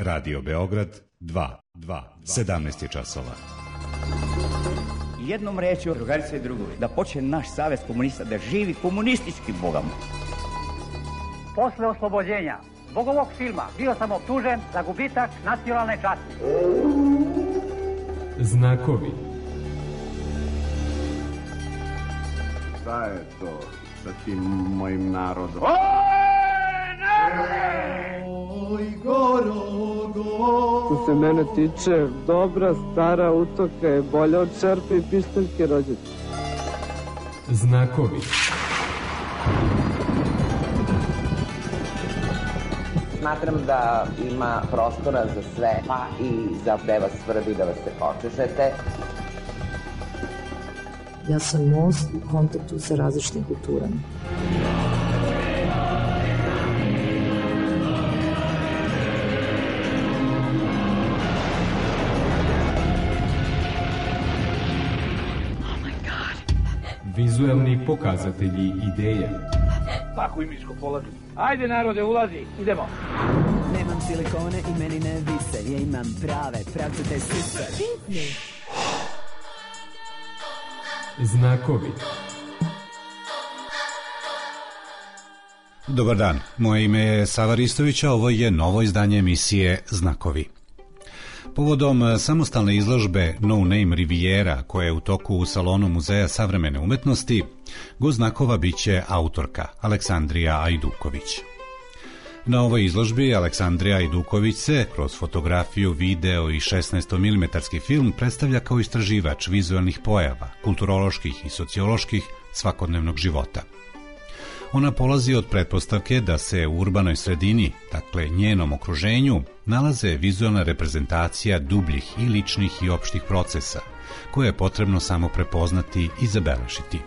Radio Beograd 2, 17 je časova. Jednom rečju, drugarice i drugovi, da počne naš savez komunista da živi komunistički bogom. Posle oslobođenja zbog ovog filma bio sam optužen za gubitak nacionalne časti. Znakovi. Šta je to sa tim mojim narodom? Oj, Gorogo! Što se mene tiče, dobra stara utoka je bolja od čerpe i pištaljke rođaca. Znakovi. Smatram da ima prostora za sve, pa i za gde vas svrbi da vas se počešete. Ja sam most u kontaktu sa različitim kulturama. Vizuelni pokazatelji ideje. Tako i miško polazi. Ajde narode, ulazi, idemo. Nemam silikone i meni ne vise, ja imam prave, pravcate sise. Znakovi. Dobar dan, moje ime je Sava Ristović, a ovo je novo izdanje emisije Znakovi. Povodom samostalne izložbe No Name Riviera, koja je u toku u salonu Muzeja savremene umetnosti, gost znakova biće autorka Aleksandrija Ajduković. Na ovoj izložbi Aleksandrija Ajduković se kroz fotografiju, video i 16mm film predstavlja kao istraživač vizualnih pojava, kulturoloških i socioloških svakodnevnog života. Ona polazi od pretpostavke da se u urbanoj sredini, dakle njenom okruženju, nalaze vizualna reprezentacija dubljih i ličnih i opštih procesa, koje je potrebno samo prepoznati i zabeležiti.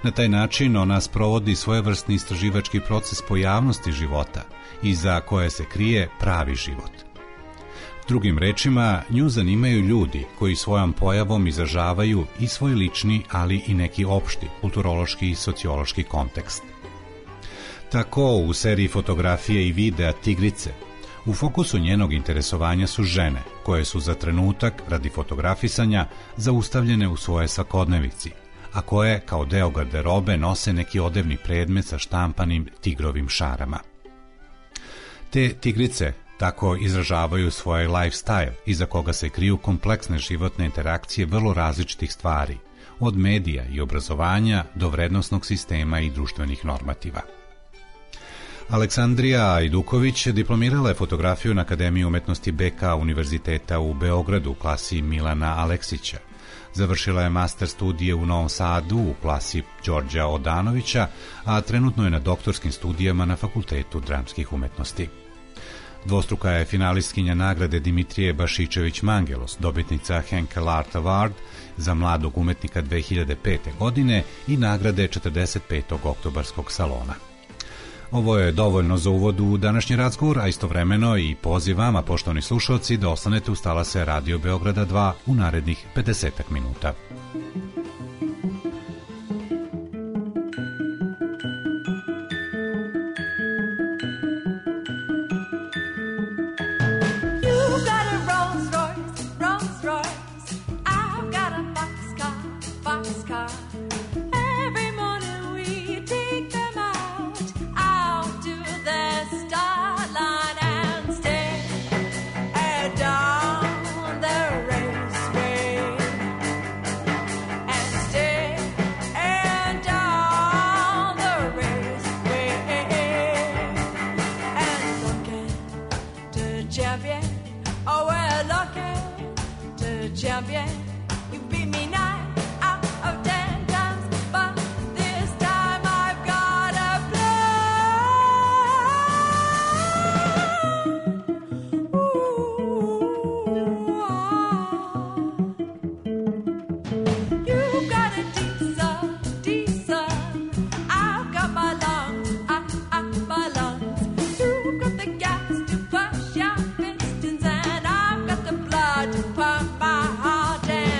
Na taj način ona sprovodi svojevrsni istraživački proces pojavnosti života, iza koje se krije pravi život. Drugim rečima, nju zanimaju ljudi koji svojom pojavom izražavaju i svoj lični, ali i neki opšti, kulturološki i sociološki kontekst. Tako, u seriji fotografije i videa Tigrice, u fokusu njenog interesovanja su žene, koje su za trenutak, radi fotografisanja, zaustavljene u svoje svakodnevici, a koje, kao deo garderobe, nose neki odevni predmet sa štampanim tigrovim šarama. Te tigrice tako izražavaju svoj lifestyle, iza koga se kriju kompleksne životne interakcije vrlo različitih stvari, od medija i obrazovanja do vrednosnog sistema i društvenih normativa. Aleksandrija Ajduković diplomirala je fotografiju na Akademiji umetnosti BK Univerziteta u Beogradu u klasi Milana Aleksića. Završila je master studije u Novom Sadu u klasi Đorđa Odanovića, a trenutno je na doktorskim studijama na Fakultetu dramskih umetnosti. Dvostruka je finalistkinja nagrade Dimitrije Bašičević-Mangelos, dobitnica Henkel Art Award za mladog umetnika 2005. godine i nagrade 45. oktobarskog salona. Ovo je dovoljno za uvod u današnji razgovor, a istovremeno i poziv vama, poštovani slušalci, da ostanete uz talase Radio Beograda 2 u narednih 50 minuta. Pump my heart and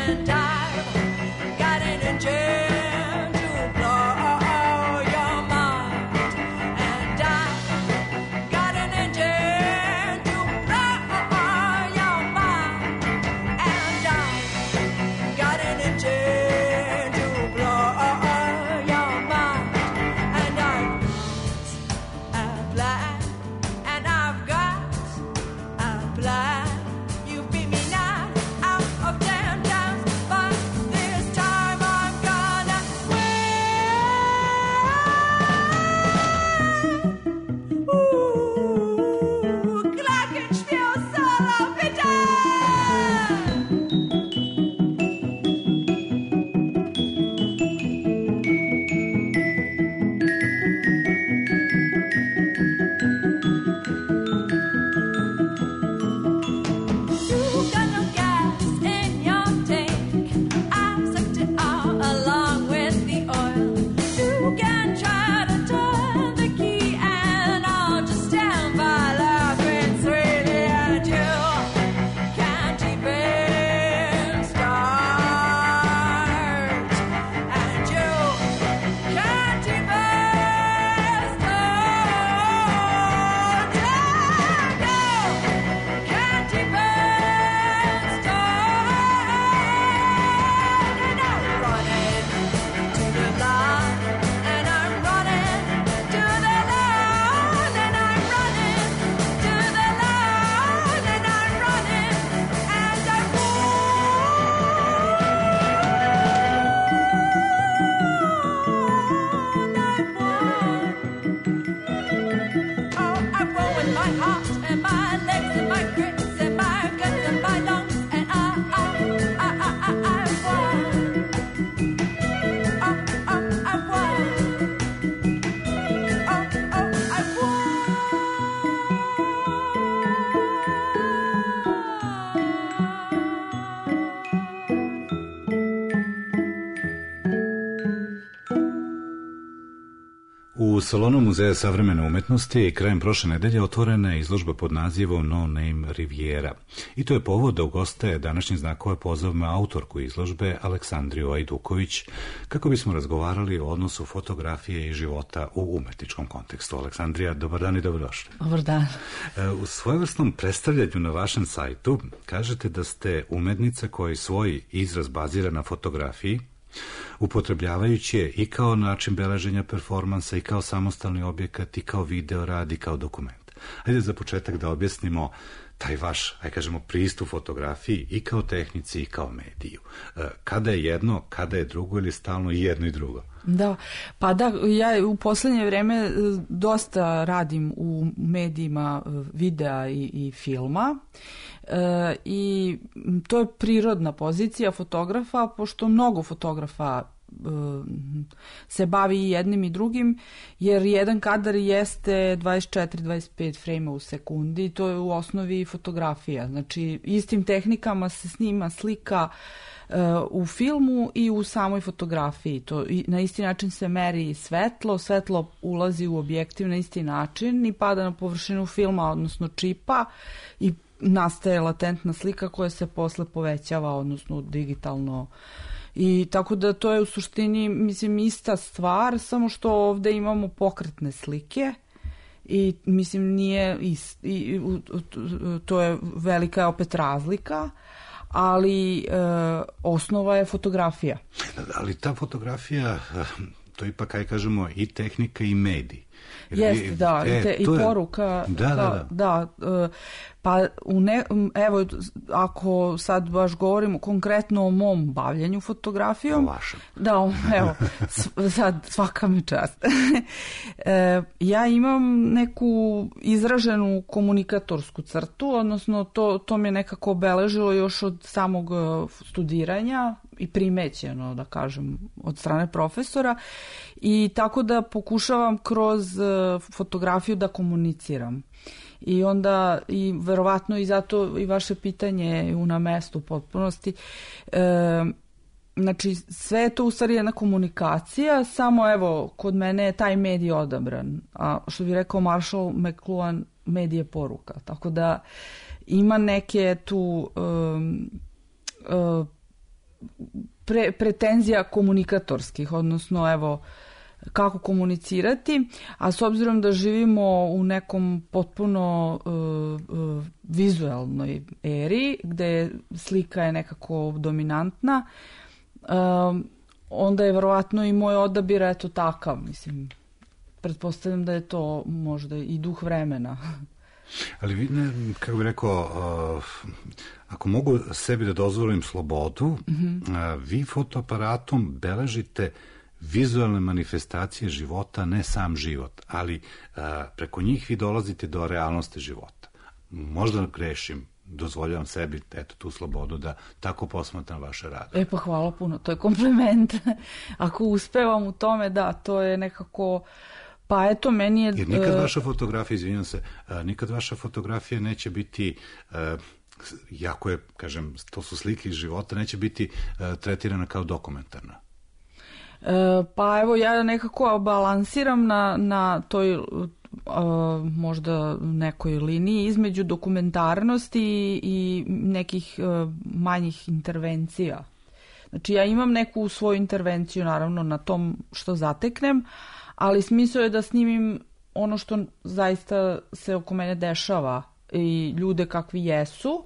U salonu Muzeja savremene umetnosti krajem prošle nedelje otvorena je izložba pod nazivom No Name Riviera. I to je povod da ugoste današnjih znakova pozovme autorku izložbe Aleksandriju Ajduković, kako bismo razgovarali o odnosu fotografije i života u umetničkom kontekstu. Aleksandrija, dobar dan i dobrodošli. Dobar dan. U svojevrsnom predstavljanju na vašem sajtu kažete da ste umetnica koji svoj izraz bazira na fotografiji, upotrebljavajući je i kao način beleženja performansa, i kao samostalni objekat, i kao video rad, i kao dokument. Ajde za početak da objasnimo taj vaš, kažemo, pristup fotografiji i kao tehnici i kao mediju. Kada je jedno, kada je drugo ili stalno i jedno i drugo? Da, pa da, ja u poslednje vreme dosta radim u medijima videa i filma i to je prirodna pozicija fotografa, pošto mnogo fotografa se bavi i jednim i drugim, jer jedan kadar jeste 24-25 frejma u sekundi, to je u osnovi fotografija. Znači, istim tehnikama se snima slika u filmu i u samoj fotografiji. Na isti način se meri svetlo, svetlo ulazi u objektiv na isti način i pada na površinu filma, odnosno čipa, i nastaje latentna slika koja se posle povećava, odnosno digitalno. I tako da to je u suštini, mislim, ista stvar, samo što ovde imamo pokretne slike i mislim nije to je velika opet razlika, ali osnova je fotografija. Ali ta fotografija, to ipak, kaj kažemo, i tehnika i medij. Jeste, da, i poruka. Da. Pa, evo, ako sad baš govorimo konkretno o mom bavljanju fotografijom. O vašem. Da, evo, sad svaka mi čast. Ja imam neku izraženu komunikatorsku crtu, odnosno to me nekako obeležilo još od samog studiranja i primećeno, da kažem, od strane profesora, i tako da pokušavam kroz fotografiju da komuniciram. I onda, i verovatno i zato i vaše pitanje je na mestu u potpunosti. Znači, sve je to u stvari jedna komunikacija, samo evo, kod mene je taj medij odabran. A što bi rekao Marshall McLuhan, medij je poruka. Tako da ima neke tu pretenzija komunikatorskih, odnosno evo, kako komunicirati, a s obzirom da živimo u nekom potpuno vizualnoj eri, gde slika je nekako dominantna, onda je verovatno i moj odabir eto takav, mislim, pretpostavljam da je to možda i duh vremena. Ali vi, kako bih rekao, ako mogu sebi da dozvolim slobodu, vi fotoaparatom beležite vizualne manifestacije života, ne sam život, ali preko njih vi dolazite do realnosti života. Možda grešim, dozvoljavam sebi eto tu slobodu da tako posmatram vaše rade. Pa hvala puno, to je kompliment. Ako uspevam u tome, da, to je nekako, pa eto, meni je... Jer nikad vaša fotografija, izvinjam se, nikad vaša fotografija neće biti, jako je, kažem, to su slike iz života, neće biti tretirana kao dokumentarna. Pa evo, ja nekako balansiram na toj možda nekoj liniji između dokumentarnosti i nekih manjih intervencija. Znači, ja imam neku svoju intervenciju, naravno, na tom što zateknem, ali smisao je da snimim ono što zaista se oko mene dešava i ljude kakvi jesu.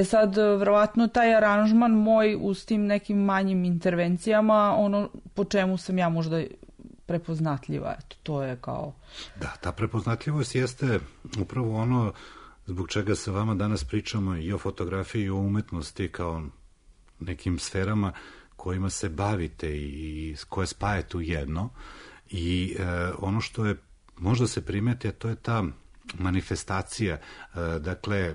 Sad, verovatno, taj aranžman moj uz tim nekim manjim intervencijama, ono po čemu sam ja možda prepoznatljiva, eto, to je kao... Da, ta prepoznatljivost jeste upravo ono zbog čega sa vama danas pričamo i o fotografiji i o umetnosti kao nekim sferama kojima se bavite i koje spajete u jedno. I ono što je možda se primeti, a to je ta manifestacija, dakle,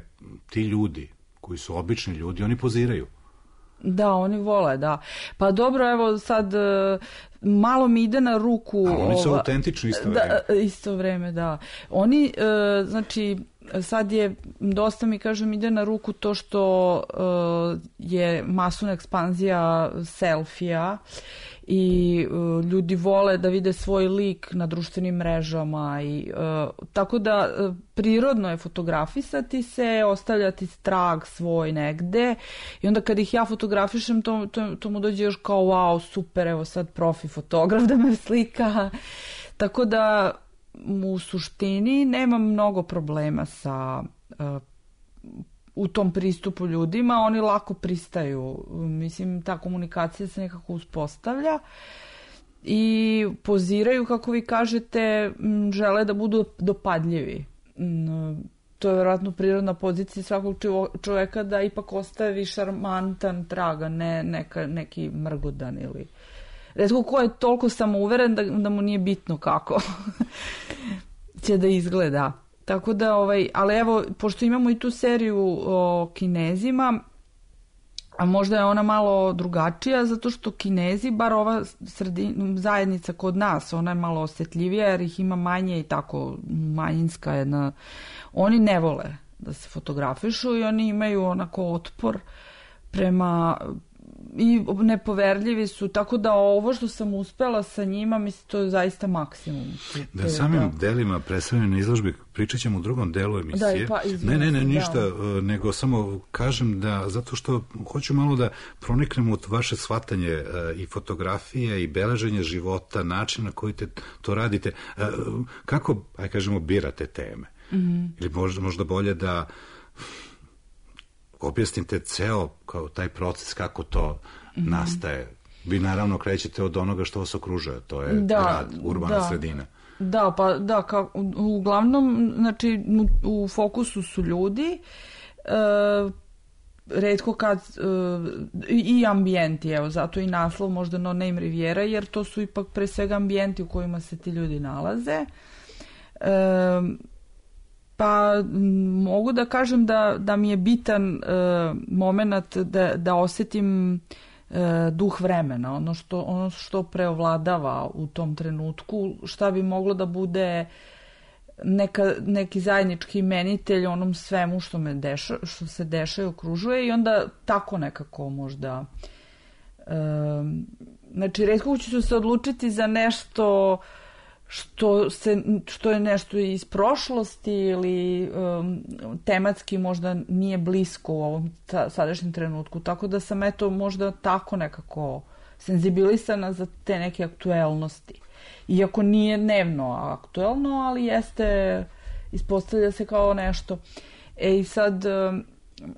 ti ljudi koji su obični ljudi, oni poziraju. Da, oni vole, da. Pa dobro, evo sad malo mi ide na ruku... A oni su autentični isto vreme. Da, isto vreme, da. Oni, znači, sad je, dosta mi kažem, ide na ruku to što je masovna ekspanzija selfija i ljudi vole da vide svoj lik na društvenim mrežama i tako da prirodno je fotografisati se, ostavljati trag svoj negde i onda kad ih ja fotografišem to mu dođe još kao wow, super, evo sad profi fotograf da me slika, tako da u suštini nemam mnogo problema sa u tom pristupu ljudima, oni lako pristaju. Mislim, ta komunikacija se nekako uspostavlja i poziraju, kako vi kažete, žele da budu dopadljivi. To je vjerojatno prirodna pozicija svakog čovjeka da ipak ostavi šarmantan trag, a ne neki mrgodan ili... Retko ko je toliko samouveren da mu nije bitno kako će da izgleda. Tako da, ali evo, pošto imamo i tu seriju o Kinezima, a možda je ona malo drugačija, zato što Kinezi, bar ova zajednica kod nas, ona je malo osjetljivija jer ih ima manje i tako manjinska jedna. Oni ne vole da se fotografišu i oni imaju onako otpor prema... i nepoverljivi su, tako da ovo što sam uspela sa njima, mislim, to je zaista maksimum. Da samim delima predstavljeno na izložbi pričat ćemo u drugom delu emisije. Ne, ništa, nego samo kažem da, zato što hoću malo da proniknemo u vaše shvatanje i fotografije i beleženje života, način na koji to radite. Kako, kažemo, birate teme? Ili možda bolje da objasnite ceo kao taj proces, kako to nastaje. Vi naravno krećete od onoga što vas okružuje, to je grad, urbana sredina. Da, pa da, uglavnom, znači, u fokusu su ljudi, retko kad, i ambijenti, evo, zato i naslov možda No Name Riviera, jer to su ipak pre svega ambijenti u kojima se ti ljudi nalaze. Pa mogu da kažem da mi je bitan moment da osjetim duh vremena, ono što preovladava u tom trenutku, šta bi moglo da bude neki zajednički imenitelj onom svemu što se dešava i okružuje i onda tako nekako možda. Znači, retko ću se odlučiti za nešto što je nešto iz prošlosti ili tematski možda nije blisko u ovom sadašnjem trenutku. Tako da sam možda tako nekako senzibilisana za te neke aktuelnosti. Iako nije dnevno aktuelno, ali ispostavlja se kao nešto. I sad,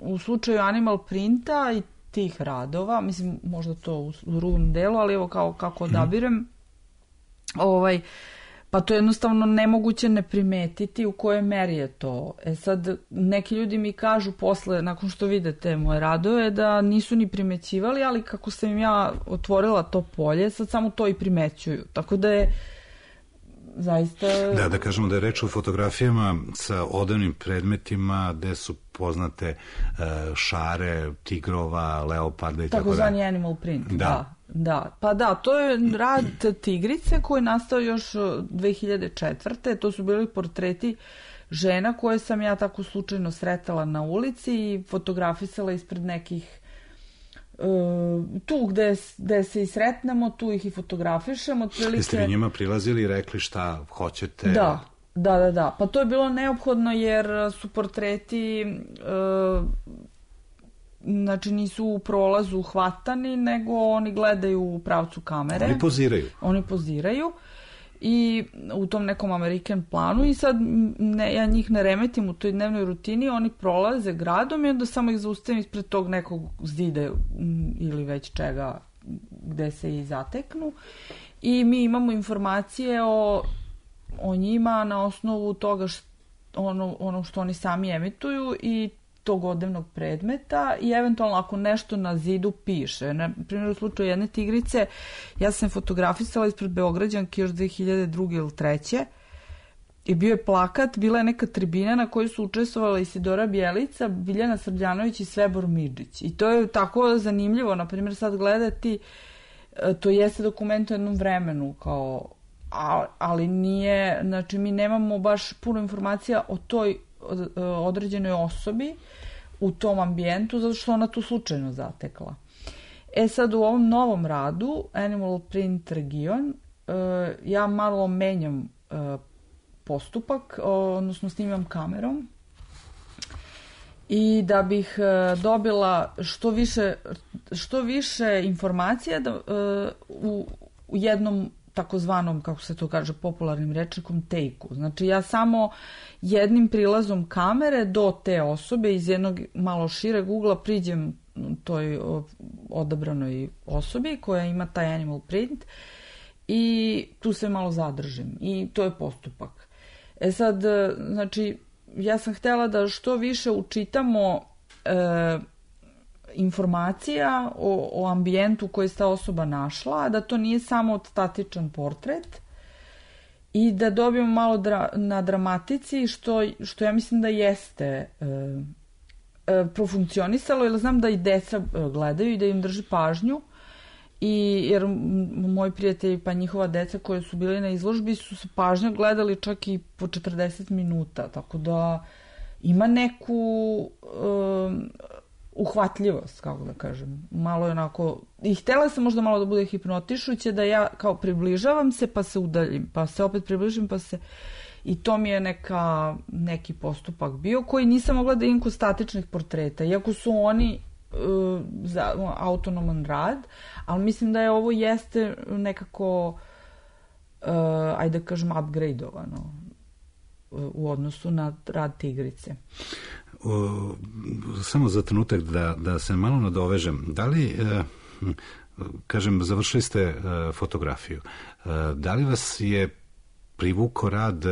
u slučaju Animal Printa i tih radova, mislim možda to u drugom delu, ali evo kako odabirem, pa to je jednostavno nemoguće ne primetiti u kojoj meri je to. Sad, neki ljudi mi kažu posle, nakon što vide te moje radove, da nisu ni primećivali, ali kako sam im ja otvorila to polje, sad samo to i primećuju. Tako da je zaista... Da kažemo da je reč o fotografijama sa odevnim predmetima gde su poznate šare, tigrova, leoparda i tako da. Takozvani animal print, da. Pa da, to je rad tigrice koji je nastao još 2004. To su bili portreti žena koje sam ja tako slučajno sretala na ulici i fotografisala ispred nekih tu gde se i sretnemo, tu ih i fotografišemo. Jeste vi njima prilazili i rekli šta hoćete? Da. Pa to je bilo neophodno jer su portreti znači nisu u prolazu hvatani, nego oni gledaju u pravcu kamere. Oni poziraju i u tom nekom American planu i sad ja njih ne remetim u toj dnevnoj rutini, oni prolaze gradom i onda samo ih zaustavim ispred tog nekog zida ili već čega gde se i zateknu i mi imamo informacije o njima na osnovu toga ono što oni sami emituju i tog odevnog predmeta i eventualno ako nešto na zidu piše. Na primjer, u slučaju jedne tigrice, ja sam fotografisala ispred Beograđanke još 2002. ili 2003. I bio je plakat, bila je neka tribina na kojoj su učestvovala Isidora Bjelica, Biljana Srbljanović i Svebor Midžić. I to je tako zanimljivo, na primjer, sad gledati, to jeste dokument u jednom vremenu, kao, ali nije, znači mi nemamo baš puno informacija o toj određenoj osobi u tom ambijentu, zato što ona tu slučajno zatekla. Sad u ovom novom radu, Animal Print region, ja malo menjam postupak, odnosno snimam kamerom i da bih dobila što više informacija u jednom takozvanom, kako se to kaže, popularnim rečnikom take-u. Znači ja samo jednim prilazom kamere do te osobe iz jednog malo šireg ugla priđem toj odabranoj osobi koja ima taj animal print i tu se malo zadržim i to je postupak. Sad, znači, ja sam htjela da što više učitamo informacija o ambijentu koji je ta osoba našla, da to nije samo statičan portret i da dobijemo malo na dramatici, što ja mislim da jeste profunkcionisalo, jer znam da i deca gledaju i da im drži pažnju, jer moji prijatelji pa njihova deca koje su bili na izložbi su se pažnja gledali čak i po 40 minuta, tako da ima neku uhvatljivost, kako da kažem, malo je onako, i htjela sam možda malo da bude hipnotišuće, da ja kao približavam se pa se udaljim, pa se opet približim pa se, i to mi je neki postupak bio koji nisam mogla da imam kod statičnih portreta, iako su oni za autonoman rad, ali mislim da je ovo jeste nekako ajde da kažem upgradeovano u odnosu na rad Tigrice. Samo za trenutak da se malo nadovežem, da li kažem, završili ste fotografiju, da li vas je privukao rad,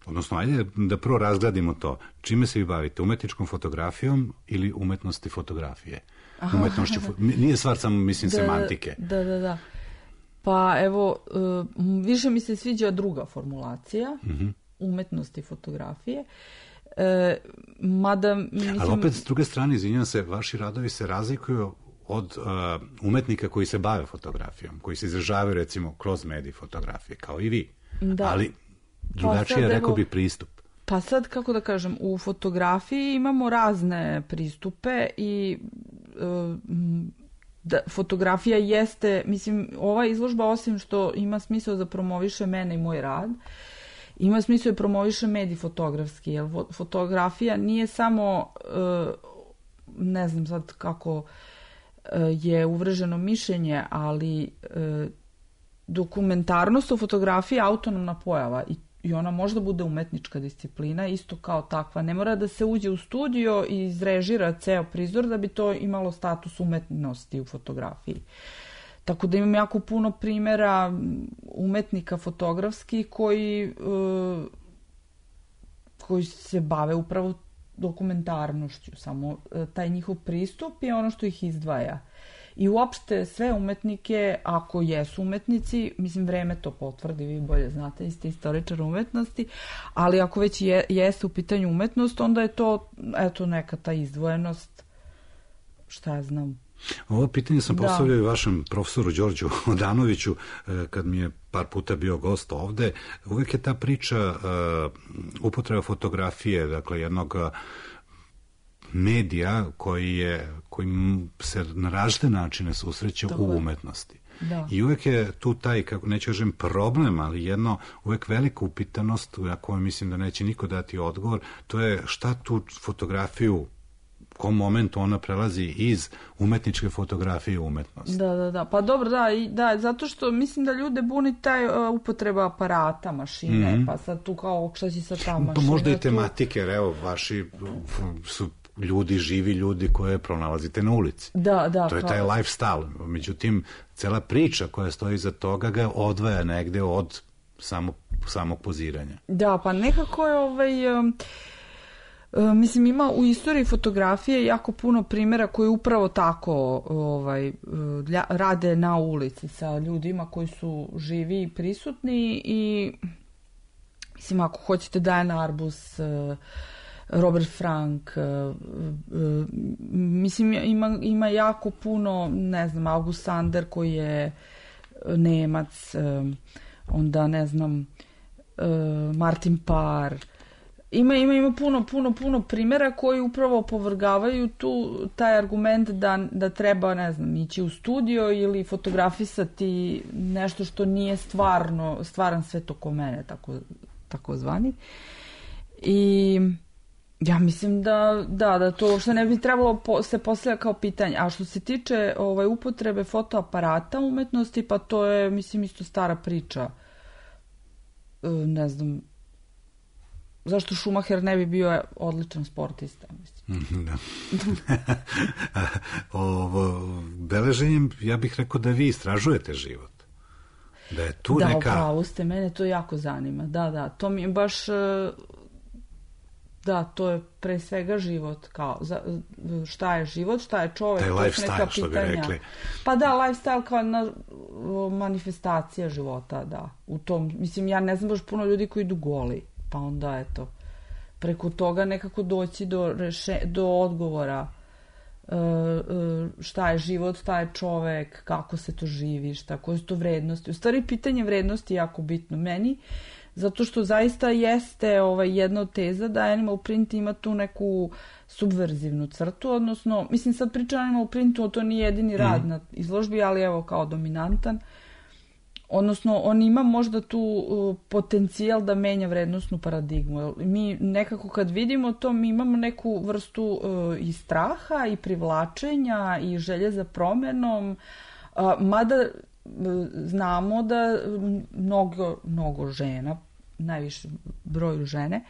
odnosno ajde da prvo razgradimo to, čime se vi bavite, umetničkom fotografijom ili umetnosti fotografije? Nije stvar samo, mislim, semantike. Da. Pa evo, više mi se sviđa druga formulacija, umetnosti fotografije, mada mislim... Ali opet, s druge strane, izvinjam se, vaši radovi se razlikuju od umetnika koji se bave fotografijom, koji se izražavaju, recimo, kroz medij fotografije, kao i vi. Da. Ali drugačije, rekao bi, pristup. Pa sad, kako da kažem, u fotografiji imamo razne pristupe i fotografija jeste, mislim, ova izložba, osim što ima smisao da promoviše mene i moj rad, ima smisao da promoviše medij fotografski, jer fotografija nije samo, ne znam sad kako je uvrženo mišljenje, ali dokumentarnost u fotografiji je autonomna pojava i ona možda bude umetnička disciplina, isto kao takva. Ne mora da se uđe u studio i izrežira ceo prizor da bi to imalo status umetnosti u fotografiji. Tako da imam jako puno primjera umetnika fotografskih koji se bave upravo dokumentarnošću. Samo taj njihov pristup je ono što ih izdvaja. I uopšte sve umetnike, ako jesu umetnici, mislim, vreme to potvrdi, vi bolje znate, ste istoričar umetnosti, ali ako već jeste u pitanju umetnost, onda je to, eto, neka ta izdvojenost, šta ja znam. Ovo pitanje sam postavljao i vašem profesoru Đorđu Odanoviću, kad mi je par puta bio gost ovde. Uvek je ta priča upotreba fotografije, dakle, jednog medija koji se na različite načine susreće u umetnosti. Da. I uvek je tu taj, kako neću kažem problem, ali jedno uvek velika upitanost, na kojoj mislim da neće niko dati odgovor, to je šta tu fotografiju, u kom momentu ona prelazi iz umetničke fotografije u umetnost. Da. Pa dobro, da, zato što mislim da ljude buni taj upotreba aparata, mašine, pa sad tu kao šta će sad ta mašina. Pa možda i tematike, jer evo, vaši su ljudi, živi ljudi koje pronalazite na ulici. Da. To je taj lifestyle. Međutim, cela priča koja stoji iza toga ga odvaja negde od samog poziranja. Da, pa nekako je mislim, ima u istoriji fotografije jako puno primjera koji upravo tako rade na ulici sa ljudima koji su živi i prisutni i mislim, ako hoćete Diane Arbus, Robert Frank, mislim, ima jako puno, ne znam, August Sander koji je Nemac, onda, ne znam, Martin Parr, Ima puno primjera koji upravo opovrgavaju taj argument da treba, ne znam, ići u studio ili fotografisati nešto što nije stvaran svet oko mene, tako zvani. I ja mislim da to uopšte ne bi trebalo se postavlja kao pitanje. A što se tiče upotrebe fotoaparata umetnosti, pa to je, mislim, isto stara priča. Ne znam, zašto Schumacher ne bi bio odličan sportista, mislim. Da. Beleženjem, ja bih rekao da vi istražujete život. Da je tu neka... Da, upravo ste, mene to jako zanima. Da, to mi je baš... Da, to je pre svega život, kao šta je život, šta je čovek, taj lifestyle, što bi rekli. Pa da, lifestyle kao manifestacija života, da. U tom, mislim, ja ne znam baš puno ljudi koji idu goli, pa onda, eto, preko toga nekako doći do odgovora šta je život, šta je čovek, kako se to živi, koje su to vrednosti. U stvari, pitanje vrednosti je jako bitno meni, zato što zaista jeste jedna od teza da Animal Print ima tu neku subverzivnu crtu, odnosno, mislim, sad pričam o Animal Printu, to nije jedini rad na izložbi, ali evo kao dominantan. Odnosno, on ima možda tu potencijal da menja vrednostnu paradigmu. Mi nekako kad vidimo to, mi imamo neku vrstu i straha i privlačenja i želje za promenom, mada znamo da mnogo žena, najviše broju žene,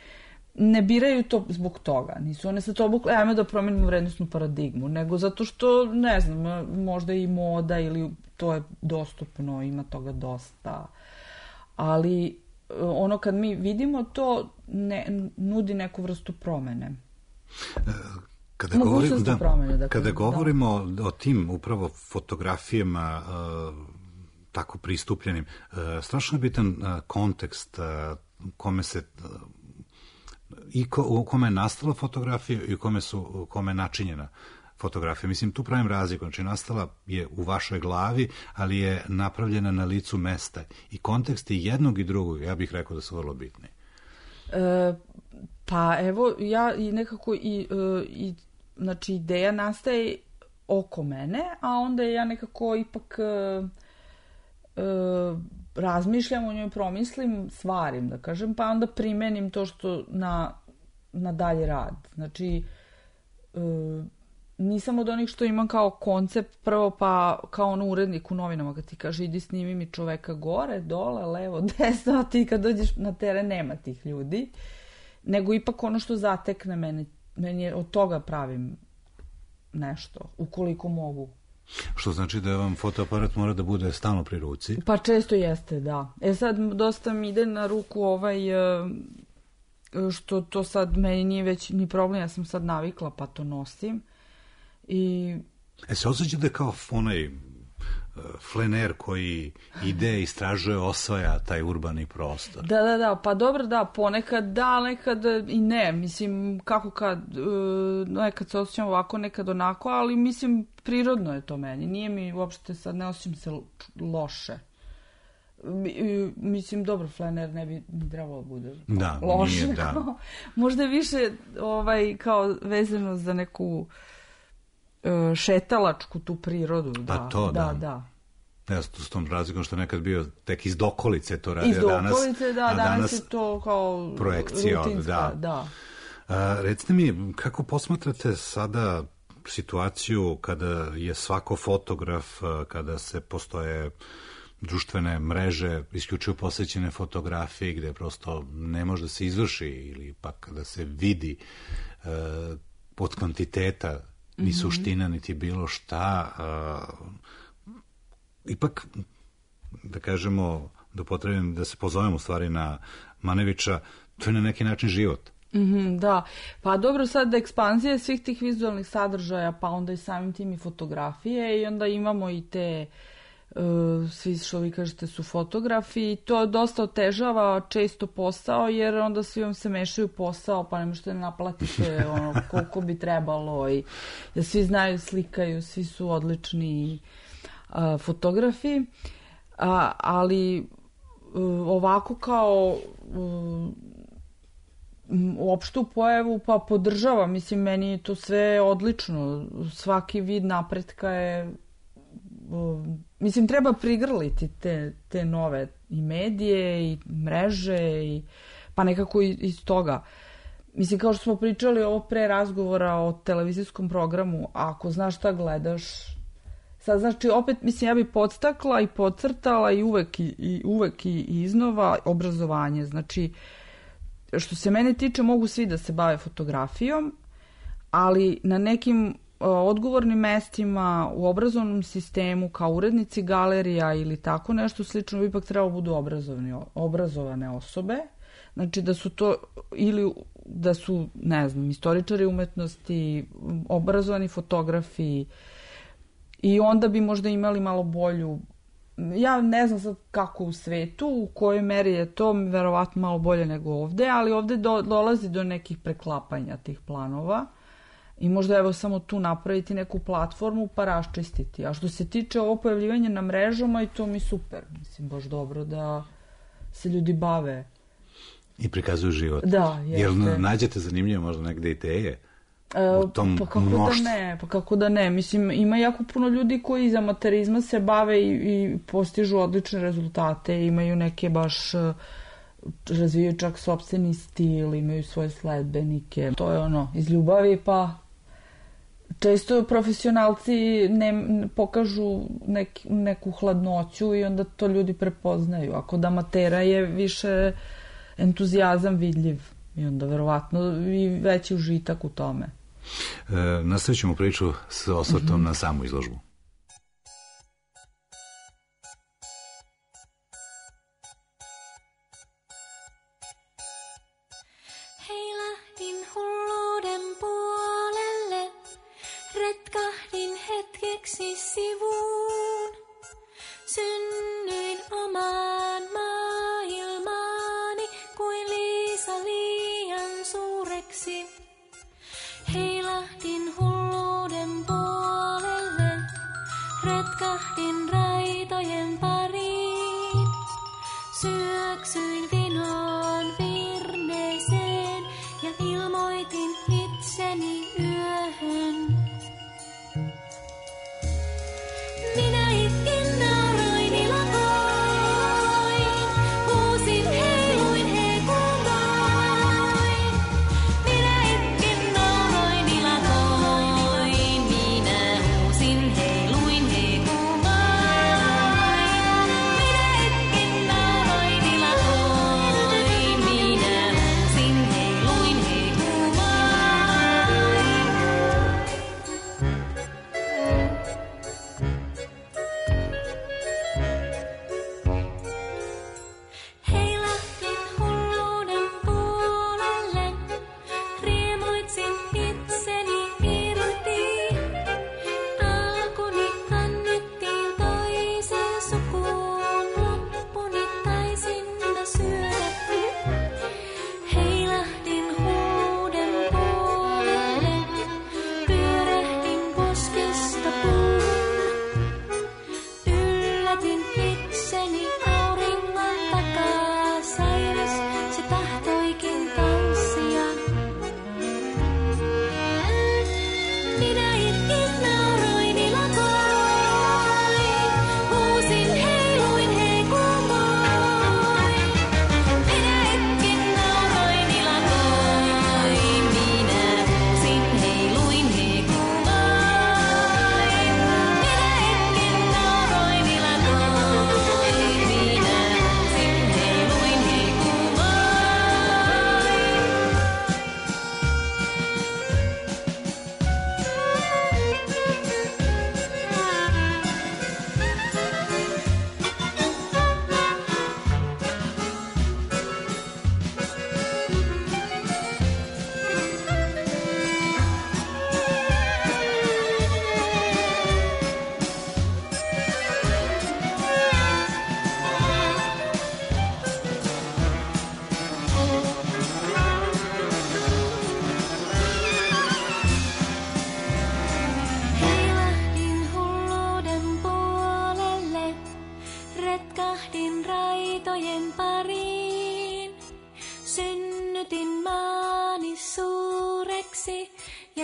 ne biraju to zbog toga. Nisu one sa to obukle, ajme da promenimo vrednostnu paradigmu, nego zato što, ne znam, možda i moda ili to je dostupno, ima toga dosta. Ali ono kad mi vidimo to, nudi neku vrstu promene. Kada govorimo o tim upravo fotografijama tako pristupljenim, strašno je bitan kontekst u kome je nastala fotografija i u kome je načinjena fotografija. Mislim, tu pravim razliku. Znači, nastala je u vašoj glavi, ali je napravljena na licu mesta. I konteksti jednog i drugog, ja bih rekao da su vrlo bitni. Pa evo, ja i nekako znači, ideja nastaje oko mene, a onda ja nekako ipak razmišljam o njoj, promislim, stvarim, da kažem, pa onda primenim to što na dalje rad. Znači, nisam od onih što imam kao koncept prvo, pa kao ono urednik u novinama kad ti kaže idi snimi mi čoveka gore, dole, levo, desno, a ti kad dođeš na teren nema tih ljudi, nego ipak ono što zatekne meni je od toga pravim nešto, ukoliko mogu. Što znači da vam fotoaparat mora da bude stalno pri ruci? Pa često jeste, da. Sad dosta mi ide na ruku što to sad meni nije već ni problem, ja sam sad navikla pa to nosim. Se osjeća da je kao onaj flener koji ide, istražuje, osvaja taj urbani prostor. Da, pa dobro, da, ponekad da, nekad i ne, mislim, kako nekad se osjećam ovako, nekad onako, ali mislim, prirodno je to meni, nije mi uopšte sad, ne osjećam se loše. Mislim, dobro, flener ne bi trebalo bude loše. Nije, da. Možda je više kao vezano za neku šetalačku tu prirodu. Da. Ja s tom razlikom što nekad bio tek iz dokolice to radio. Iz dokolice, danas je to kao projekcija, rutinska, da. Recite mi, kako posmatrate sada situaciju kada je svako fotograf, kada se postoje društvene mreže isključivo posvećene fotografiji gde prosto ne može da se izvrši ili pak da se vidi od kvantiteta ni suština, niti bilo šta. Ipak, da kažemo, da upotrebim, da se pozovem u stvari na Manevića, to je na neki način život. Da, pa dobro, sad ekspanzija svih tih vizualnih sadržaja, pa onda i samim tim i fotografije i onda imamo i te svi što vi kažete su fotografi i to dosta otežava često posao jer onda svi vam se mešaju posao pa ne možete naplatite koliko bi trebalo i da svi znaju, slikaju, svi su odlični fotografi, ali ovako kao opštu pojavu, pa podržavam. Mislim, meni je to sve odlično. Svaki vid napretka je... Mislim, treba prigrliti te nove i medije i mreže i pa nekako iz toga. Mislim, kao što smo pričali ovo pre razgovora o televizijskom programu, ako znaš šta gledaš, sad znači opet, mislim, ja bi podstakla i podcrtala i uvek i iznova obrazovanje. Znači, što se mene tiče, mogu svi da se bave fotografijom, ali na nekim odgovornim mestima u obrazovnom sistemu kao urednici galerija ili tako nešto slično bi ipak trebalo budu obrazovane osobe. Znači da su to ili da su, ne znam, istoričari umetnosti, obrazovani fotografi i onda bi možda imali malo bolju, ja ne znam sad kako u svetu, u kojoj meri je to verovatno malo bolje nego ovde, ali ovde dolazi do nekih preklapanja tih planova. I možda evo samo tu napraviti neku platformu pa raščistiti. A što se tiče ovo pojavljivanja na mrežama, i to mi super. Mislim, baš dobro da se ljudi bave. I prikazuju život. Da, jeste. Jel nađete zanimljive možda negde ideje? U tom Pa kako da ne. Mislim, ima jako puno ljudi koji iz amaterizma se bave i postižu odlične rezultate. Imaju neke baš... razvijaju čak sopstveni stil, imaju svoje sledbenike. To je ono, iz ljubavi, pa često profesionalci pokažu neku hladnoću i onda to ljudi prepoznaju. A kod amatera je više entuzijazam vidljiv i onda verovatno i veći užitak u tome. Nastavit ćemo priču s osvrtom na samu izložbu. Sivuun. Synnyin omaan maailmaani kuin Liisa liian suureksi. Heilahdin hulluuden puolelle, retkahdin raitojen pariin. Syöksyin vinoon virneeseen ja ilmoitin itseni yöhön. Minä itkin nauroin ilakoin, huusin heiluin hekumoin. Minä itkin nauroin ilakoin, minä huusin heiluin hekumoin. Minä itkin nauroin ilakoin, minä huusin heiluin hekumoin.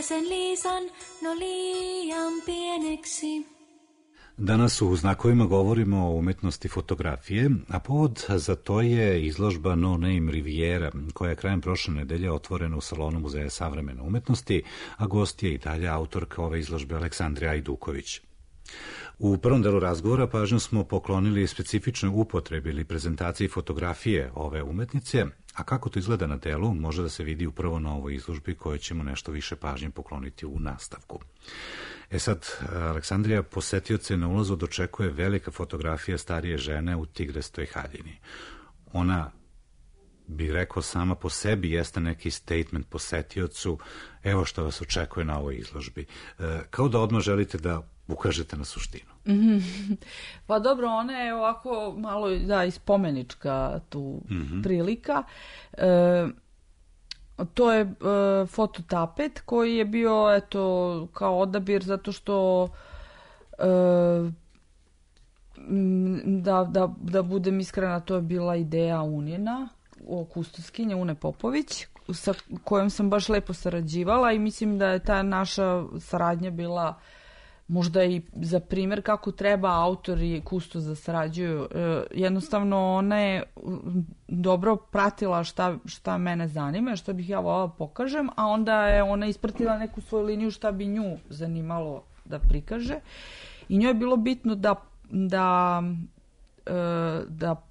sen Liisan, no liian pieneksi. Danas u Znakovima govorimo o umetnosti fotografije, a povod za to je izložba No Name Riviera, koja je krajem prošle nedelje otvorena u salonu Muzeja savremene umetnosti, a gost je i dalje autorka ove izložbe Aleksandrija Ajduković. U prvom delu razgovora pažnju smo poklonili specifičnoj upotrebi ili prezentaciji fotografije ove umetnice, a kako to izgleda na delu može da se vidi upravo na ovoj izložbi kojoj ćemo nešto više pažnje pokloniti u nastavku. Sad, Aleksandrija posetioce na ulazu dočekuje velika fotografija starije žene u tigrestoj haljini. Ona, bi rekao sama po sebi, jeste neki statement posetiocu, evo što vas očekuje na ovoj izložbi. Kao da odmah želite da ukažete na suštinu. Pa dobro, ona je ovako malo ispomenička tu prilika. To je fototapet koji je bio kao odabir zato što da budem iskrena, to je bila ideja Unjena, kustoskinje Une Popović, sa kojom sam baš lepo sarađivala i mislim da je ta naša saradnja bila možda i za primjer kako treba autor i kustos da sarađuju. Jednostavno ona je dobro pratila šta mene zanima, šta bih ja voljela pokažem, a onda je ona ispratila neku svoju liniju šta bi nju zanimalo da prikaže. I njoj je bilo bitno da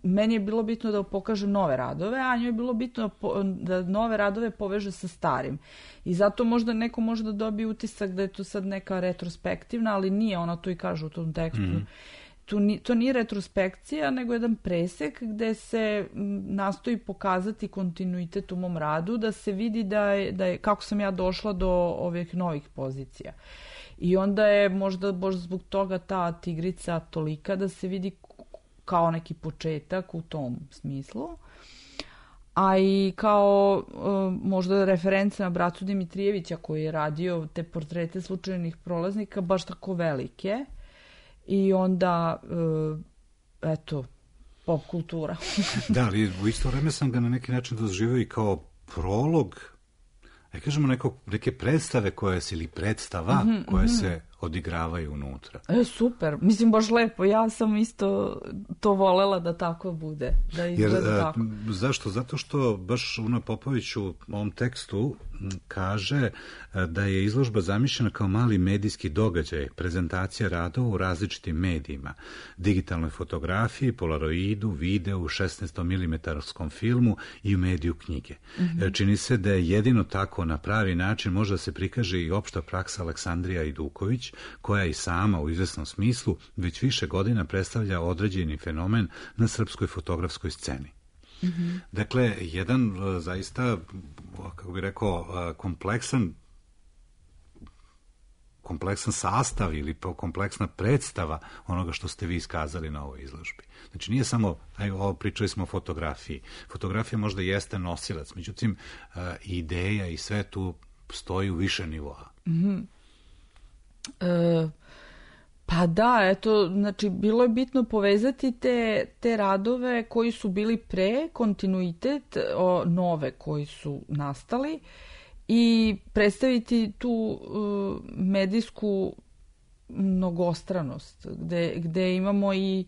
meni je bilo bitno da pokažem nove radove, a njoj je bilo bitno da nove radove poveže sa starim. I zato možda neko može da dobije utisak da je to sad neka retrospektivna, ali nije, ona to i kaže u tom tekstu. To nije retrospekcija, nego jedan presek gde se nastoji pokazati kontinuitet u mom radu, da se vidi da je kako sam ja došla do ovih novih pozicija. I onda je možda zbog toga ta tigrica tolika da se vidi kao neki početak u tom smislu, a i kao možda reference na bratu Dimitrijevića koji je radio te portrete slučajnih prolaznika baš tako velike i onda pop kultura. Da, ali u isto vreme sam ga na neki način doživio i kao prolog, kažemo neke predstave ili predstava koje se odigravaju unutra. Super, mislim baš lepo, ja sam isto to volela da tako bude, da izgleda tako. Zašto? Zato što baš Una Popović u ovom tekstu kaže da je izložba zamišljena kao mali medijski događaj, prezentacija radova u različitim medijima, digitalnoj fotografiji, polaroidu, videu, 16 mm filmu i u mediju knjige. Čini se da je jedino tako na pravi način može da se prikaže i opšta praksa Aleksandrija Ajduković, koja i sama u izvesnom smislu već više godina predstavlja određeni fenomen na srpskoj fotografskoj sceni. Dakle, jedan zaista, kako bih rekao, kompleksan sastav ili kompleksna predstava onoga što ste vi iskazali na ovoj izložbi. Znači, nije samo, pričali smo o fotografiji. Fotografija možda jeste nosilac, međutim, ideja i sve tu stoji u više nivoa. Pa da, znači bilo je bitno povezati te radove koji su bili pre, kontinuitet, nove koji su nastali i predstaviti tu medijsku mnogostranost gde imamo i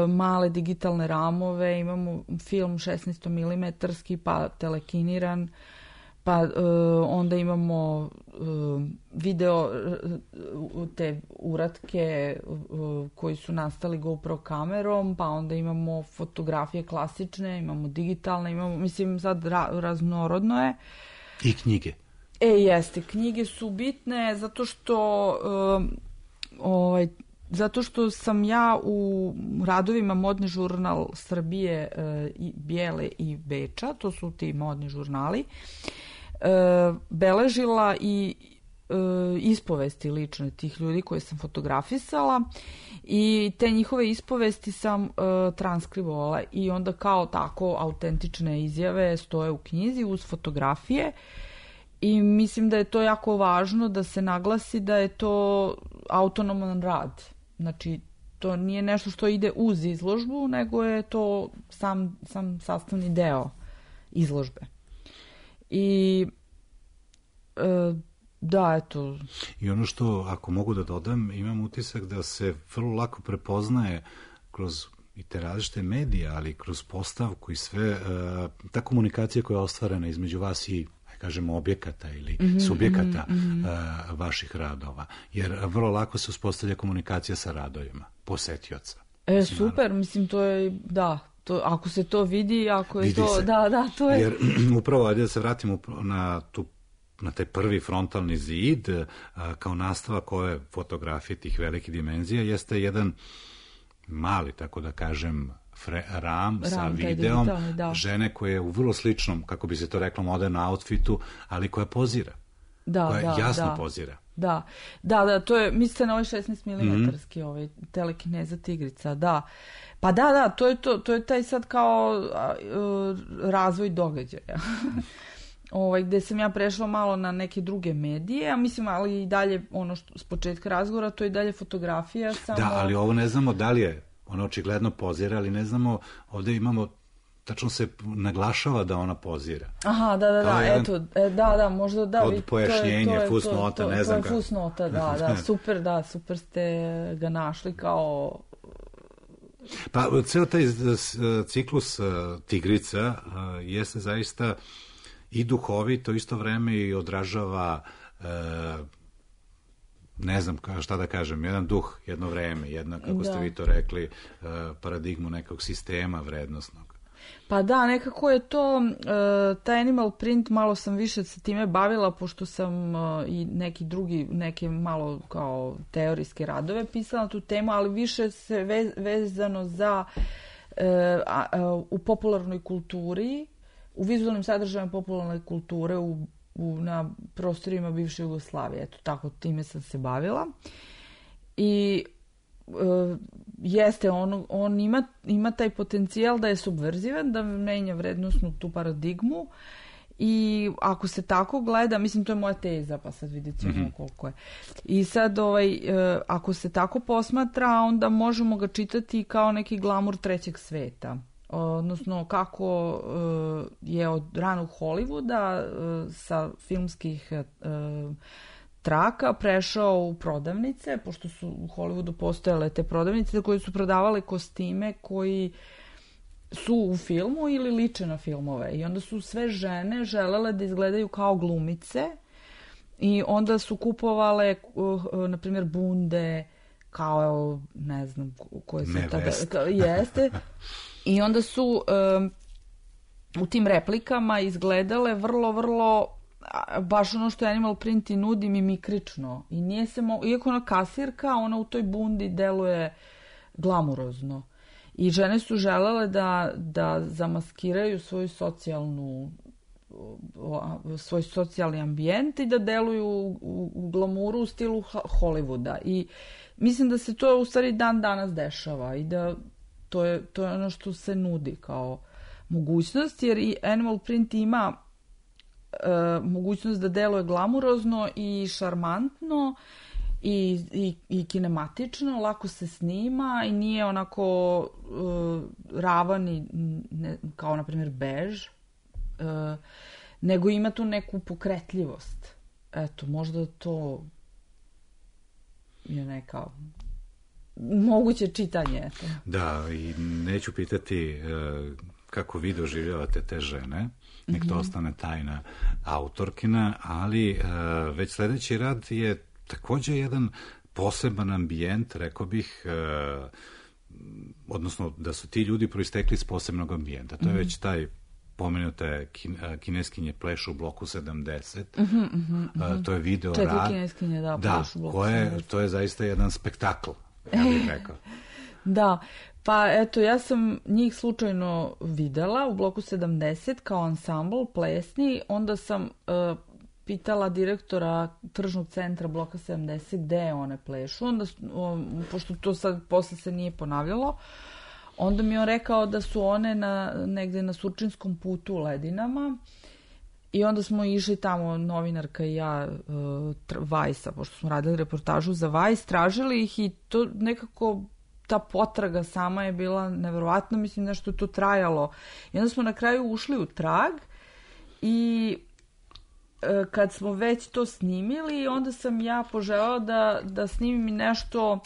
male digitalne ramove, imamo film 16 mm pa telekiniran, pa onda imamo video, te uratke koji su nastali GoPro kamerom, pa onda imamo fotografije klasične, imamo digitalne, mislim sad raznorodno je. I knjige. Jeste, knjige su bitne zato što sam ja u radovima Modni žurnal Srbije, Bijele i Beča, to su ti modni žurnali, beležila i ispovesti lične tih ljudi koje sam fotografisala i te njihove ispovesti sam transkribovala i onda kao tako autentične izjave stoje u knjizi uz fotografije i mislim da je to jako važno da se naglasi da je to autonoman rad. Znači, to nije nešto što ide uz izložbu, nego je to sam sastavni deo izložbe. I Da, eto. I ono što, ako mogu da dodam, imam utisak da se vrlo lako prepoznaje kroz i te različite medije, ali kroz postavku i sve, ta komunikacija koja je ostvarena između vas i, kažemo, objekata ili subjekata vaših radova. Jer vrlo lako se uspostavlja komunikacija sa radovima posetioca. Super, mislim, to je, da, to, ako se to vidi, ako je vidi to, se. Da, to je... Jer upravo, ajde da se vratimo na taj prvi frontalni zid, kao nastavak ove fotografije tih velikih dimenzija, jeste jedan mali, tako da kažem, ram sa videom žene koje je u vrlo sličnom, kako bi se to reklo, modernom outfitu, ali koja pozira. Koja jasno pozira. Da, to je, mislite na ovaj 16 mm ovaj telekineza tigrica, da. Pa da, to je taj sad kao razvoj događaja. Gde sam ja prešla malo na neke druge medije, a mislim, ali i dalje, ono što s početka razgovora, to je dalje fotografija. Samo... Da, ali ovo ne znamo da li je, ona očigledno pozira, ali ne znamo, ovdje imamo, tačno se naglašava da ona pozira. Aha, da, eto, da, možda da. Od pojašnjenje, fusnota, ne znam kako. To je fusnota, da, super ste ga našli kao... Pa, ceo taj ciklus Tigrica jeste zaista i duhovito, isto vreme i odražava, ne znam šta da kažem, jedan duh, jedno vreme, jedna, kako ste vi to rekli, paradigmu nekog sistema vrednostnog. Pa da, nekako je to, taj animal print, malo sam više se time bavila, pošto sam i neke malo kao teorijske radove pisala na tu temu, ali više se vezano za u popularnoj kulturi, u vizualnim sadržajima popularne kulture na prostorima bivše Jugoslavije. Eto, tako, time sam se bavila. I jeste, on ima taj potencijal da je subverzivan, da menja vrednostnu tu paradigmu i ako se tako gleda, mislim, to je moja teza, pa sad vidjet ćemo koliko je. I sad, ako se tako posmatra, onda možemo ga čitati kao neki glamur trećeg sveta. Odnosno kako je od ranog Hollywooda sa filmskih traka prešao u prodavnice, pošto su u Hollywoodu postojale te prodavnice koje su prodavale kostime koji su u filmu ili liče na filmove. I onda su sve žene želele da izgledaju kao glumice i onda su kupovale, na primjer, bunde, kao, ne znam, koje su tada... Jeste. I onda su u tim replikama izgledale vrlo, baš ono što Animal Print i nudi, mimikrično. I nije se iako ona kasirka, ona u toj bundi deluje glamurozno. I žene su želele da zamaskiraju svoj socijalni ambijent i da deluju u glamuru u stilu Hollywooda. I mislim da se to u stvari dan danas dešava i da to je ono što se nudi kao mogućnost, jer i Animal Print ima mogućnost da deluje glamurozno i šarmantno i kinematično, lako se snima i nije onako ravan i kao na primjer bež, nego ima tu neku pokretljivost. Eto, možda to je neka moguće čitanje. Eto. Da, i neću pitati kako vi doživljavate te žene, nek to ostane tajna autorkina, ali već sljedeći rad je također jedan poseban ambijent, rekao bih, odnosno da su ti ljudi proistekli iz posebnog ambijenta. To je već taj pomenute kineskinje plešu u bloku 70. To je video rad. 4 kineskinje, plešu u bloku 70. To je zaista jedan spektakl, ja bih rekao. Da, pa eto, ja sam njih slučajno videla u bloku 70 kao ansambl plesni, onda sam pitala direktora tržnog centra bloka 70 gde one plešu, onda, pošto to sad posle se nije ponavljalo, onda mi je on rekao da su one negde na Surčinskom putu u Ledinama i onda smo išli tamo, novinarka i ja, Vajsa, pošto smo radili reportažu za Vajs, tražili ih i to nekako, ta potraga sama je bila neverovatna, mislim nešto je to trajalo. I onda smo na kraju ušli u trag i kad smo već to snimili, onda sam ja poželjela da snimim nešto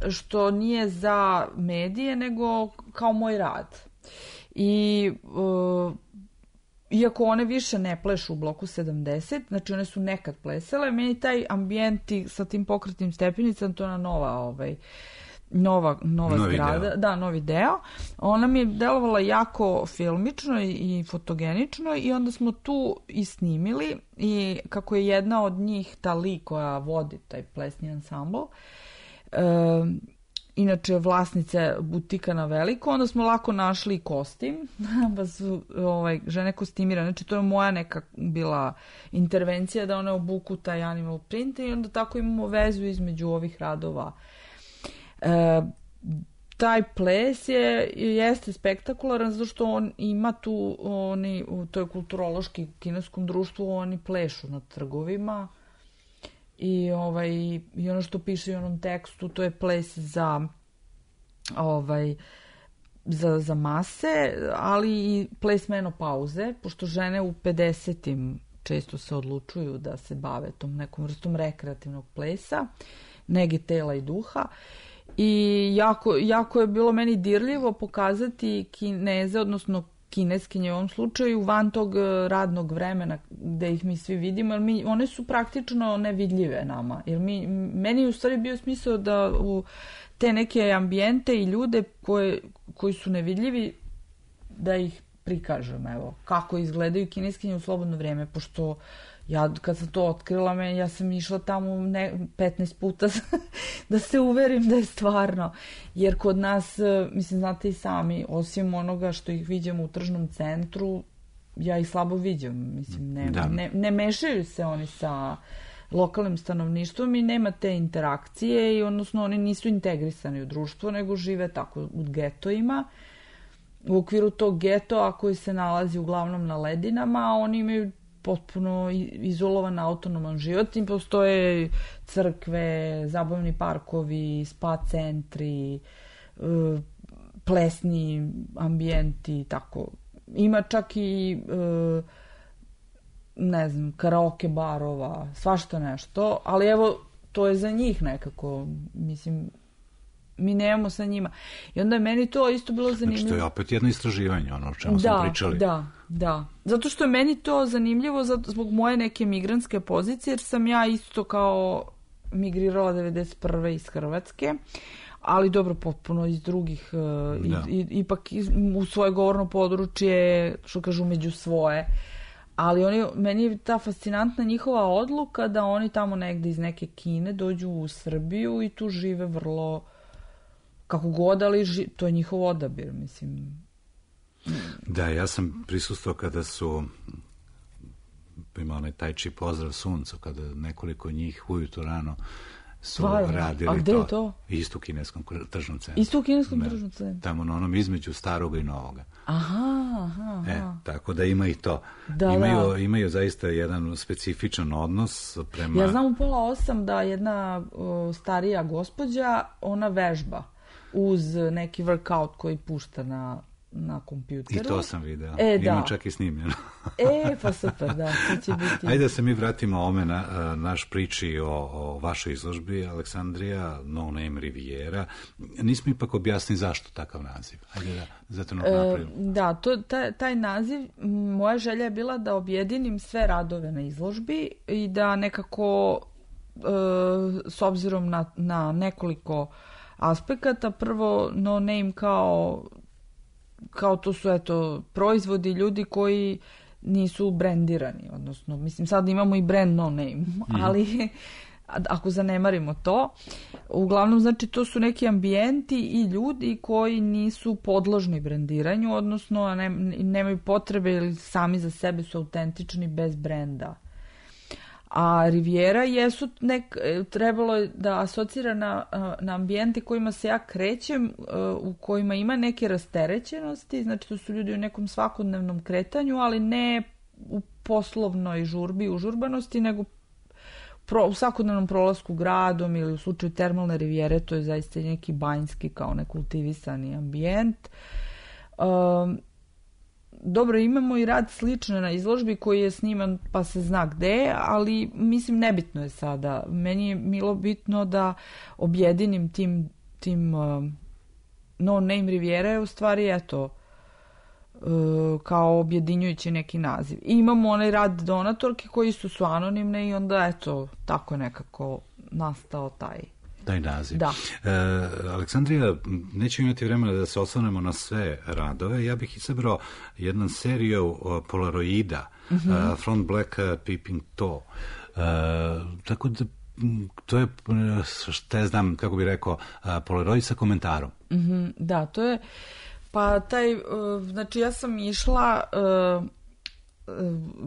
što nije za medije, nego kao moj rad. I iako one više ne plešu u bloku 70, znači one su nekad plesale, meni taj ambijent sa tim pokretnim stepenicama, to je nova zgrada, deo. Da, novi deo. Ona mi je delovala jako filmično i fotogenično i onda smo tu i snimili i kako je jedna od njih ta Li koja vodi taj plesni ansambl, inače vlasnice butika na Veliko, onda smo lako našli kostim, pa su žene kostimirane, znači to je moja neka bila intervencija da one obuku taj animal print i onda tako imamo vezu između ovih radova. Taj ples jeste spektakularan zato što on ima tu, to je kulturološki u kineskom društvu, oni plešu na trgovima i ono što piše u onom tekstu, to je ples za mase, ali i ples menopauze, pošto žene u 50-im često se odlučuju da se bave tom nekom vrstom rekreativnog plesa, nege tela i duha. I jako je bilo meni dirljivo pokazati Kineze, odnosno kineskinje u ovom slučaju, van tog radnog vremena gde ih mi svi vidimo, jer one su praktično nevidljive nama. Jer meni u stvari bio smisao da u te neke ambijente i ljude koji su nevidljivi, da ih prikažem, evo, kako izgledaju kineskinje u slobodno vrijeme, pošto ja kad sam to otkrila, ja sam išla tamo 15 puta da se uverim da je stvarno. Jer kod nas, mislim, znate i sami, osim onoga što ih viđamo u tržnom centru, ja ih slabo viđam. Mislim, ne mešaju se oni sa lokalnim stanovništvom i nema te interakcije i odnosno oni nisu integrisani u društvo, nego žive tako u getojima. U okviru tog getoa koji se nalazi uglavnom na ledinama, oni imaju potpuno izolovan autonoman život i postoje crkve, zabavni parkovi, spa centri, plesni ambijenti, tako. Ima čak i ne znam, karaoke barova, svašta nešto, ali evo, to je za njih nekako, mislim, mi nemamo sa njima. I onda je meni to isto bilo zanimljivo. Znači, to je opet jedno istraživanje, ono o čemu smo pričali. Da. Zato što je meni to zanimljivo zbog moje neke migrantske pozicije, jer sam ja isto kao migrirala 91. iz Hrvatske, ali dobro, potpuno iz drugih, ipak u svoje govorno područje, što kažu, među svoje. Ali meni je ta fascinantna njihova odluka da oni tamo negde iz neke Kine dođu u Srbiju i tu žive vrlo kako god, ali to je njihov odabir, mislim. Da, ja sam prisustvovao kada su ima onaj taj či pozdrav suncu, kada nekoliko njih ujutro rano su radili to. A gde je to? Isto u kineskom tržnom centru. Isto u kineskom tržnom centru? Tamo na onom između staroga i novoga. Aha. Tako da ima i to. Imaju zaista jedan specifičan odnos prema... Ja znam u 7:30 da jedna starija gospođa, ona vežba uz neki workout koji pušta na kompjuteru. I to sam video. Ima čak i snimljeno. Pa super, da. To će biti... Ajde da se mi vratimo ome na naš priči o vašoj izložbi, Aleksandrija, No Name Riviera. Nismo ipak objasnili zašto takav naziv. Ajde da zato napravimo. Da, taj naziv, moja želja je bila da objedinim sve radove na izložbi i da nekako s obzirom na nekoliko aspekata, prvo No Name kao to su proizvodi ljudi koji nisu brendirani, odnosno, mislim, sad imamo i brand No Name, ali ako zanemarimo to, uglavnom, znači, to su neki ambijenti i ljudi koji nisu podložni brendiranju, odnosno nemaju potrebe ili sami za sebe su autentični bez brenda. A Riviera trebalo je da asocira na ambijente kojima se ja krećem, u kojima ima neke rasterećenosti, znači to su ljudi u nekom svakodnevnom kretanju, ali ne u poslovnoj žurbi, užurbanosti, nego u svakodnevnom prolasku gradom ili u slučaju termalne rivijere, to je zaista neki banjski kao nekultivisani ambijent. dobro, imamo i rad slične na izložbi koji je sniman pa se zna gde, ali mislim nebitno je sada. Meni je bilo bitno da objedinim tim No Name Riviera je u stvari eto kao objedinjujući neki naziv. I imamo onaj rad donatorke koji su anonimne i onda eto tako nekako nastao taj naziv. Da. Aleksandrija, nećemo imati vremena da se osvrnemo na sve radove. Ja bih izabrao jednu seriju Polaroida, Front Black Peeping Tom. Tako da to je, što ja znam, kako bih rekao, Polaroid sa komentarom. Da, to je, pa znači ja sam išla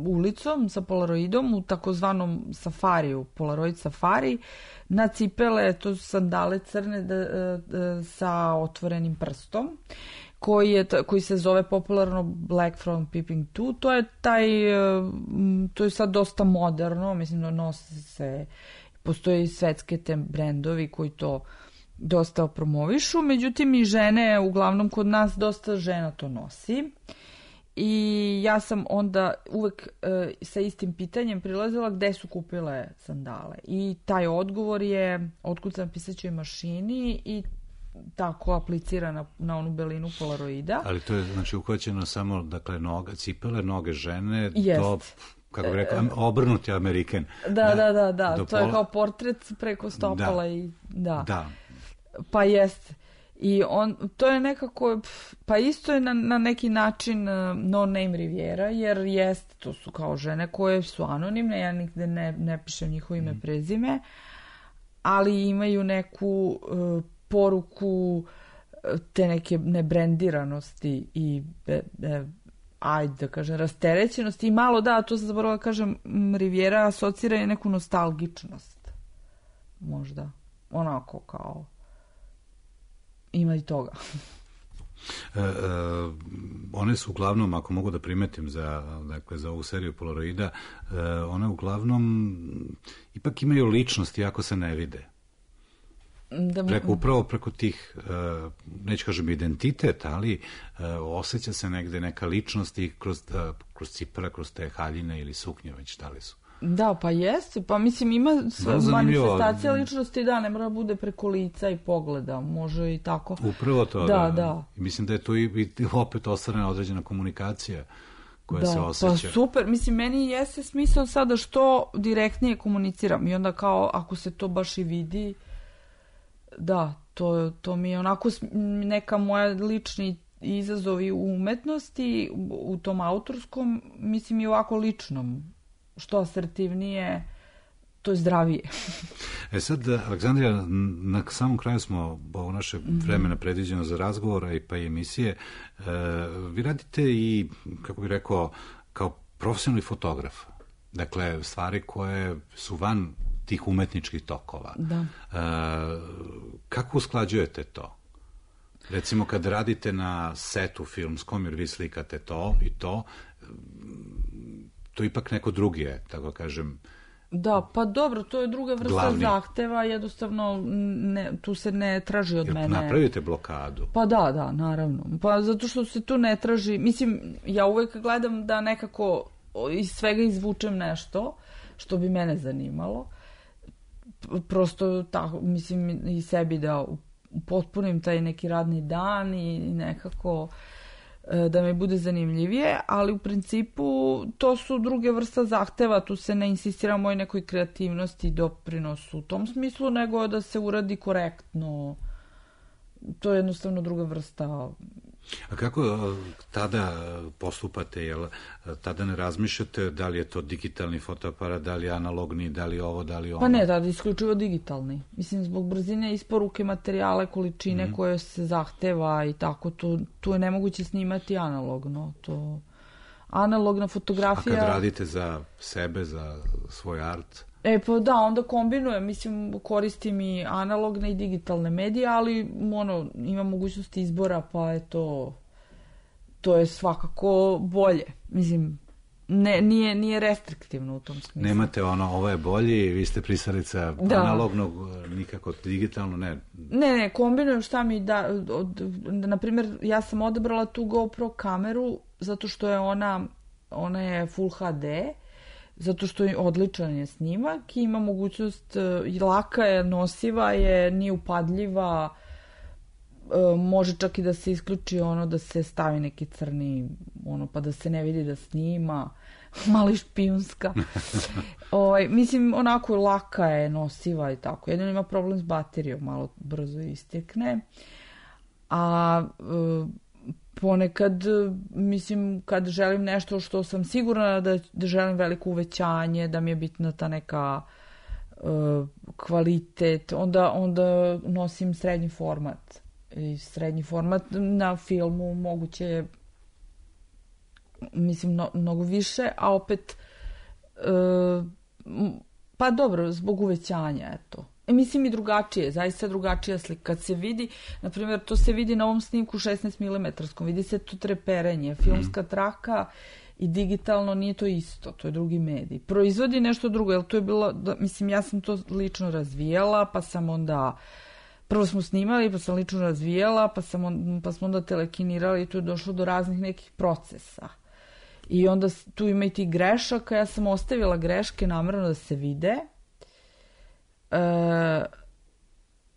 ulicom sa Polaroidom u takozvanom safariju, Polaroid safari, na cipele, to su sandale crne sa otvorenim prstom, koji se zove popularno Black Front Peeping Tom. To je sad dosta moderno, mislim da nosi se, postoje i svetske te brendovi koji to dosta promovišu, međutim i žene, uglavnom kod nas dosta žena to nosi. I ja sam onda uvek sa istim pitanjem prilazila gde su kupile sandale. I taj odgovor je otkucan pisaćoj mašini i tako aplicira na onu belinu Polaroida. Ali to je znači uhvaćeno samo, dakle, cipele, noge žene, to, kako bih rekao, obrnuti Amerikan. Da. To je kao portret preko stopala i da. Pa jeste. I to je nekako, pa isto je na neki način No Name Riviera, jer jeste, to su kao žene koje su anonimne, ja nigde ne pišem njihovo ime, prezime, ali imaju neku poruku te neke nebrendiranosti i ajde da kažem rasterećenosti i malo to sam zaboravila da kažem, Riviera asocira je neku nostalgičnost, možda, onako kao ima i toga. One su uglavnom, ako mogu da primetim za ovu seriju Polaroida, one uglavnom ipak imaju ličnost iako se ne vide. Upravo preko tih, neću kažem identitet, ali osjeća se negde neka ličnost i kroz cipele, kroz te haljine ili suknje, već da li su. Da, pa jeste, pa mislim ima manifestacija ličnosti, ne mora bude preko lica i pogleda, može i tako. Upravo to, da. Mislim da je tu i opet ostvarena određena komunikacija koja se osjeća. Pa super, mislim, meni jeste smisao sada što direktnije komuniciram i onda kao, ako se to baš i vidi, da, to mi je onako neka moja lični izazovi u umetnosti, u tom autorskom, mislim i ovako ličnom. Što asertivnije, to je zdravije. Sad, Aleksandrija, na samom kraju smo ovo naše vremena predviđeno za razgovor pa i emisije. Vi radite i, kako bih rekao, kao profesionalni fotograf. Dakle, stvari koje su van tih umetničkih tokova. Da. Kako usklađujete to? Recimo, kad radite na setu filmskom, jer vi slikate to i to ipak neko drugi je, tako kažem. Da, pa dobro, to je druga vrsta zahteva, jednostavno tu se ne traži od mene. Napravite blokadu? Pa da, naravno. Pa zato što se tu ne traži, mislim, ja uvek gledam da nekako iz svega izvučem nešto što bi mene zanimalo. Prosto tako, mislim, i sebi da potpunim taj neki radni dan i nekako da mi bude zanimljivije, ali u principu to su druge vrsta zahteva, tu se ne insistira moj nekoj kreativnosti i doprinosu u tom smislu, nego da se uradi korektno. To je jednostavno druga vrsta. A kako tada postupate? Jel tada ne razmišljate da li je to digitalni fotoaparat, da li je analogni, da li ovo, da li ono? Pa ne, tada isključivo digitalni. Mislim, zbog brzine isporuke materijale, količine koje se zahteva i tako, tu je nemoguće snimati analogno. Analogna fotografija... A kad radite za sebe, za svoj art... Pa da, onda kombinujem, mislim, koristim i analogne i digitalne medije, ali ima mogućnosti izbora, pa je to je svakako bolje. Mislim, nije restriktivno u tom smislu. Nemate ovo je bolji, vi ste pristalica analognog, nikako digitalno, ne? Ne, kombinujem šta mi da, na primjer, ja sam odabrala tu GoPro kameru zato što je ona je Full HD, zato što je odličan je snimak i ima mogućnost, laka je, nosiva je, nije upadljiva, može čak i da se isključi da se stavi neki crni, pa da se ne vidi da snima, mali špijunska. Mislim, onako laka je, nosiva i tako. Jedino ima problem s baterijom, malo brzo istekne. A ponekad, mislim, kad želim nešto što sam sigurna da želim veliko uvećanje, da mi je bitna ta neka kvalitet, onda nosim srednji format. I srednji format na filmu moguće je, mislim, mnogo više, a opet pa dobro, zbog uvećanja, eto. Mislim i drugačije, zaista drugačija slika. Kad se vidi, na primjer, to se vidi na ovom snimku 16 mm, vidi se to treperenje, filmska traka i digitalno nije to isto, to je drugi medij. Proizvodi nešto drugo, jer to je bilo, mislim, ja sam to lično razvijala, pa sam onda, prvo smo snimali, pa sam lično razvijala, pa smo onda telekinirali i tu je došlo do raznih nekih procesa. I onda tu ima i ti grešaka, ja sam ostavila greške namerno da se vide.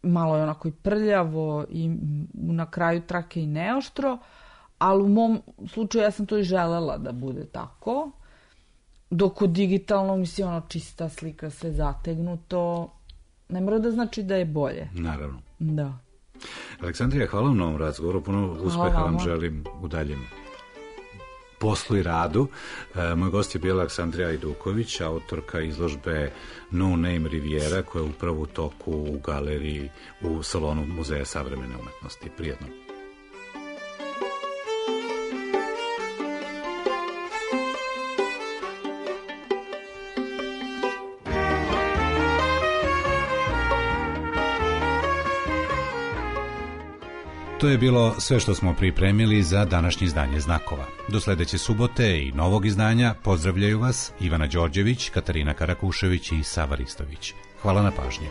Malo je onako i prljavo i na kraju trake i neoštro, ali u mom slučaju ja sam to i želela da bude tako, dok u digitalnom, mislim, čista slika, sve zategnuto, ne mora da znači da je bolje. Naravno. Da. Aleksandrija, hvala vam na ovom razgovoru, puno uspeha vam želim u daljem poslu i radu. Moj gost je bila Aleksandrija Ajduković, autorka izložbe No Name Riviera, koja je upravo u toku u galeriji u salonu Muzeja savremene umetnosti. Prijetno. To je bilo sve što smo pripremili za današnje izdanje Znakova. Do sledeće subote i novog izdanja pozdravljaju vas Ivana Đorđević, Katarina Karakušević i Sava Ristović. Hvala na pažnji.